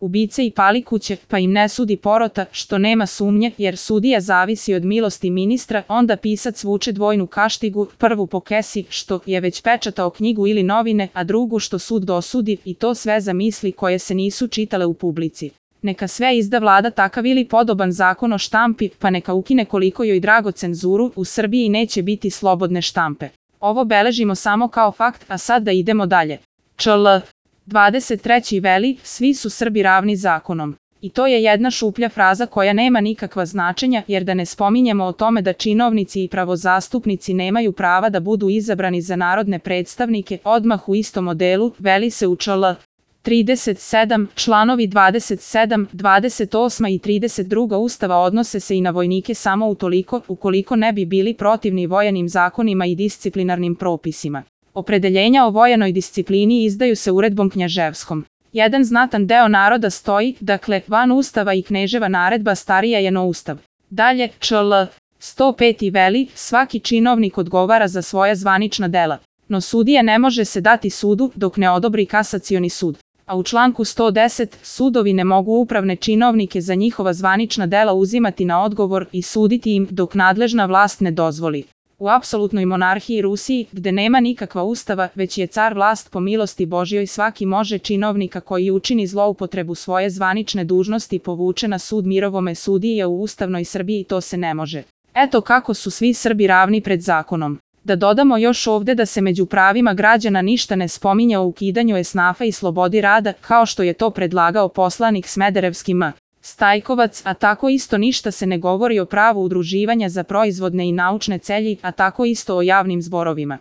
ubice i palikuće, pa im ne sudi porota, što nema sumnje, jer sudija zavisi od milosti ministra, onda pisac vuče dvojnu kaštigu, prvu po kesi, što je već pečatao knjigu ili novine, a drugu što sud dosudi, i to sve za misli koje se nisu čitale u publici. Neka sve izda vlada takav ili podoban zakon o štampi, pa neka ukine koliko joj drago cenzuru, u Srbiji neće biti slobodne štampe. Ovo beležimo samo kao fakt, a sad da idemo dalje. čl. 23. veli, svi su Srbi ravni zakonom. I to je jedna šuplja fraza koja nema nikakva značenja, jer da ne spominjemo o tome da činovnici i pravozastupnici nemaju prava da budu izabrani za narodne predstavnike, odmah u istom modelu, veli se u čl. 37, članovi 27, 28 i 32 Ustava odnose se i na vojnike samo ukoliko ne bi bili protivni vojanim zakonima i disciplinarnim propisima. Opredeljenja o vojanoj disciplini izdaju se uredbom knjaževskom. Jedan znatan deo naroda stoji, dakle, van Ustava i kneževa naredba starija je no Ustav. Dalje, čl. 105. veli, svaki činovnik odgovara za svoja zvanična dela. No sudija ne može se dati sudu dok ne odobri kasacioni sud. A u članku 110, sudovi ne mogu upravne činovnike za njihova zvanična dela uzimati na odgovor i suditi im dok nadležna vlast ne dozvoli. U apsolutnoj monarhiji Rusiji, gde nema nikakva ustava, već je car vlast po milosti Božjoj, svaki može činovnika koji učini zloupotrebu svoje zvanične dužnosti povuče na sud mirovome sudije, u ustavnoj Srbiji to se ne može. Eto kako su svi Srbi ravni pred zakonom. Da dodamo još ovde da se među pravima građana ništa ne spominje o ukidanju esnafa i slobodi rada, kao što je to predlagao poslanik Smederevski M. Stajkovac, a tako isto ništa se ne govori o pravu udruživanja za proizvodne i naučne celji, a tako isto o javnim zborovima.